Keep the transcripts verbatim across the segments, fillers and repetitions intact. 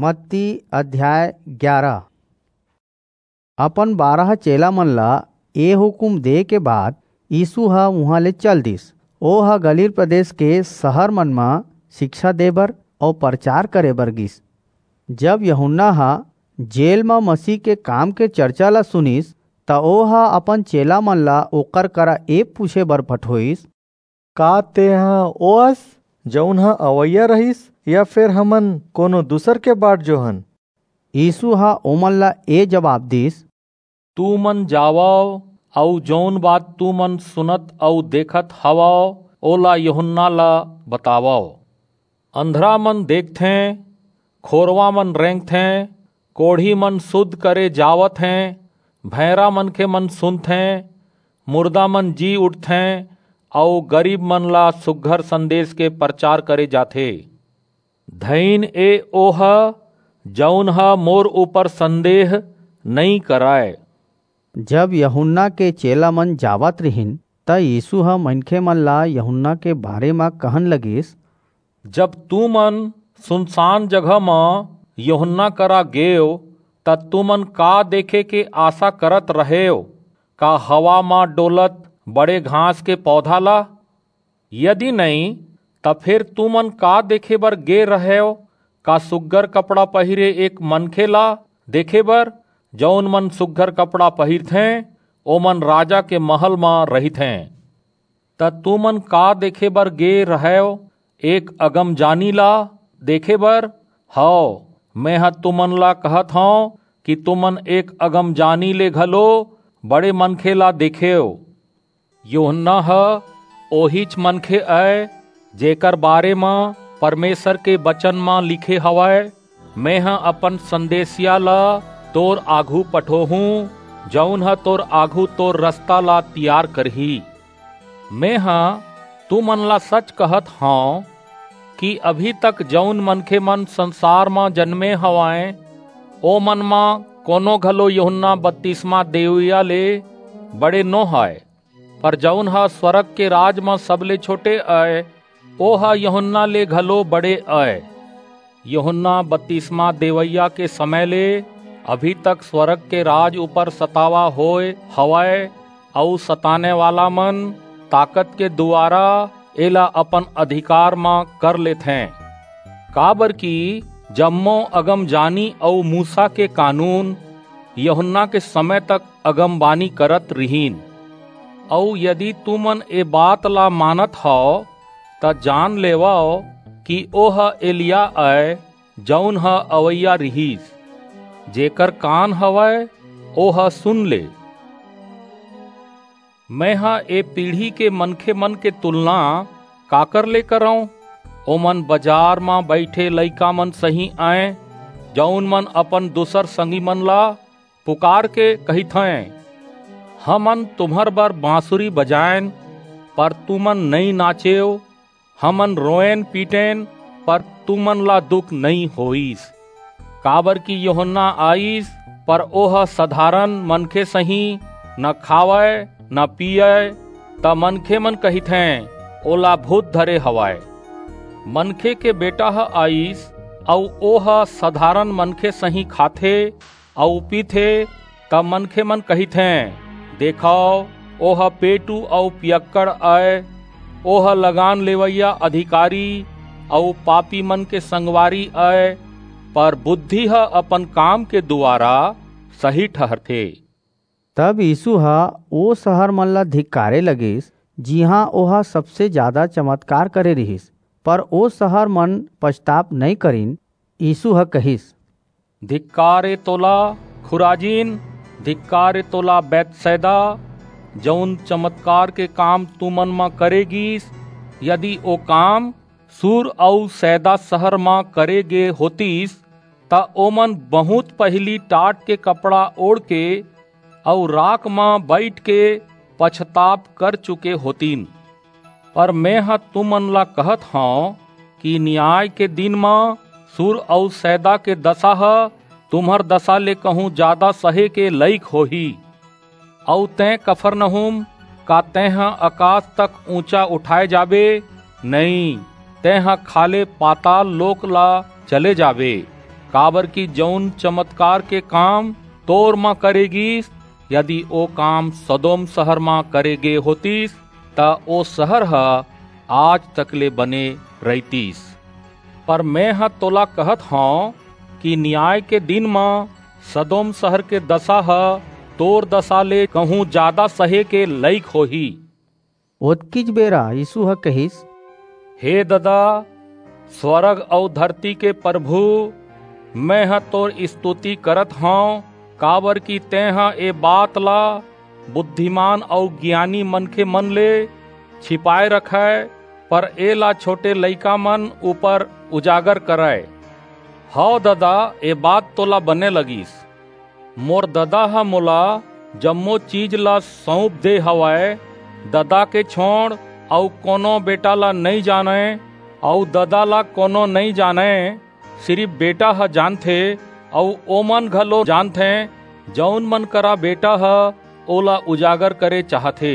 मत्ती अध्याय ग्यारह। अपन बारह चेला मन ला ए हुकुम दे के बाद यीशु ह उहां ले चल दिस। ओ ह गलील प्रदेश के शहर मन म शिक्षा दे बर अऊ प्रचार करे बर गिस। जब यूहन्ना ह जेल म मसीह के काम के चर्चा ला सुनिस, त ओ ह अपन चेला मन ला ओकर करा ए पूछे बर पठोइस, का तेंह ओस, जऊन ह अवइया रहिस, या फेर हमन कोनो दूसर के बाट जोहन? यीशु ह ओमन ला ए जवाब दीस, तुमन जावव अऊ जऊन बात तुमन सुनत अऊ देखत हवव, ओला यूहन्ना ला बतावव। अंधरा मन देखथें, खोरवा मन रेंगथें, कोढ़ी मन सुध करे जावत हें, भैंरा मनखे मन सुनथें, मुर्दा मन जी उठथें, अऊ गरीब मन ला सुघर संदेश के प्रचार करे जाथे। धइन ए ओह, जऊन ह मोर ऊपर संदेह नइं करय। जब यूहन्ना के चेला मन जावत रिहिन, त यीशु ह मनखे मन ला यूहन्ना के बारे म कहन लगिस, जब तुमन सुनसान जगह म यूहन्ना करा गेव, त तुमन का देखे के आसा करत रहेव? का हवा म डोलत बड़े घास के पौधा ला? यदि नइं, त फेर तुमन का देखे बर गे रहेव? का सुघर कपड़ा पहिरे एक मनखे ला देखे बर? जऊन मन सुघर कपड़ा पहिरथें, ओमन राजा के महल म रहिथें। त तुमन का देखे बर गे रहेव? एक अगमजानी ला देखे बर? हव, मेंह तुमन ला कहत हंव कि तुमन एक अगमजानी ले घलो बड़े मनखे ला देखेव। यूहन्ना ह ओहीच मनखे अय, जेकर बारे म परमेसर के बचन म लिखे हवय, मेंह अपन संदेसिया ला तोर आघू पठोहूं, जऊन ह तोर आघू तोर रसता ला तियार करही। मेंह तुमन ला सच कहत हंव कि अभी तक जऊन मनखे मन संसार म जनमे हवंय, ओमन म कोनो घलो यूहन्ना बतिसमा देवइया ले बड़े नो हय, पर जऊन ह स्वरग के राज म सबले छोटे अय, ओह यूहन्ना ले घलो बड़े अय। यूहन्ना बतिसमा देवइया के समय ले अभी तक स्वरग के राज ऊपर सतावा होय हवय, अऊ सताने वाला मन ताकत के दुवारा एला अपन अधिकार म कर लेथें। काबरकि जम्मो अगमजानी अऊ मूसा के कानून यूहन्ना के समय तक अगमबानी करत रिहिन। अऊ यदि तुमन ए बात ला मानत हव, त जान लेवव कि ओह एलिय्याह अय, जऊन ह अवइया रिहिस। जेकर कान हवय, ओह सुन ले। मेंह ए पीढ़ी के मनखे मन के तुलना काकर ले करंव? ओमन बजार म बईठे लइका मन सहीं अंय, जऊन मन अपन दूसर संगी मन ला पुकारके कहिथंय, हमन तुम्हर बर बांसुरी बजाएन, पर तुमन नइं नाचेव, हमन रोएन पीटेन, पर तुमन ला दुख नइं होईस। काबरकि यूहन्ना आईस, पर ओह सधारन मनखे सहीं न खावय, न पीयय, त मनखे मन कहिथें, ओला भूत धरे हवय। मनखे के बेटा ह आईस, अऊ ओह सधारन मनखे सहीं खाथे, अऊ पीथे, त मनखे मन कहिथें, देखव, ओह पेटू अऊ पियक्कड़ अय, ओह लगान लेवइया अधिकारी अऊ पापी मन के संगवारी अय, पर बुद्धि ह अपन काम के दुवारा सही ठहरथे। तब यीशु ह ओ सहर मन ला धिक्कारे लगिस, जिहां ओह सबसे जादा चमत्कार करे रिहिस, पर ओ सहर मन पछताप नइं करिन। यीशु ह कहिस, धिक्कार ए तोला, खुराजीन! धिक्कार ए तोला, बैतसैदा! जऊन चमत्कार के काम तुमन म करे गीस, यदि ओ काम सूर अऊ सैदा सहर म करे गे होतिस, त ओमन बहुंत पहिली टाट के कपड़ा ओढ़के अऊ राख म बईठके पछताप कर चुके होतिन। पर मेंह तुमन ला कहत हंव कि नियाय के दिन म सूर अऊ सैदा के दसा ह तुम्हर दसा ले कहूं जादा सहे के लइक होही। अऊ तें, कफरनहूम, का तेंह अकास तक ऊंचा उठाय जाबे? नइं, तेंह खाल्हे पाताल लोक ला चले जाबे। काबर कि जऊन चमतकार के काम तोर म करे गीस, यदि ओ काम सदोम सहर म करे गे होतिस, त ओ सहर ह आज तक ले बने रहितिस। पर मेंह तोला कहत हंव कि नियाय के दिन म सदोम सहर के दसा ह तोर दसा ले कहूं जादा सहे के लइक होही। ओतकीच बेरा यीसू ह कहिस, हे ददा, स्वरग अऊ धरती के परभू, मेंह तोर इस्तुति करत हंव, काबरकि तेंह ए बात ला बुद्धिमान अऊ गियानी मनखेमन ले छिपाय रखय, पर एला छोटे लइकामन ऊपर उजागर करय। हव ददा, ए बात तोला बने लगिस। मोर ददा ह मोला जम्मो चीज ला सऊंप दे हवय। ददा के छोंड़ अऊ कोनो बेटा ला नइं जानय, अऊ ददा ला कोनो नइं जानय, सिरिप बेटा ह जानथे, अऊ ओमन घलो जानथें, जऊन मन करा बेटा ह ओला उजागर करे चाहथे।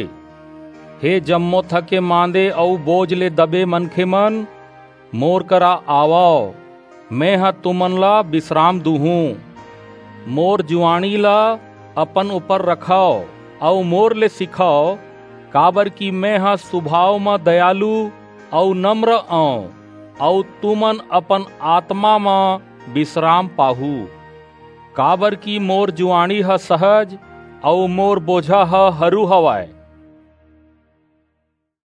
हे जम्मो थके मांदे अऊ बोझ ले दबे मनखेमन, मोर करा आवव, मेंह तुमन ला बिसराम दूहूं। मोर जुआंड़ी ला अपन ऊपर रखव अऊ मोर ले सिखव, काबरकि मेंह सुभाव म दयालु अऊ नम्र अंव, अऊ तुमन अपन आतमा म बिसराम पाहू। काबरकि मोर जुआंड़ी ह सहज अऊ मोर बोझा ह हरू हवय।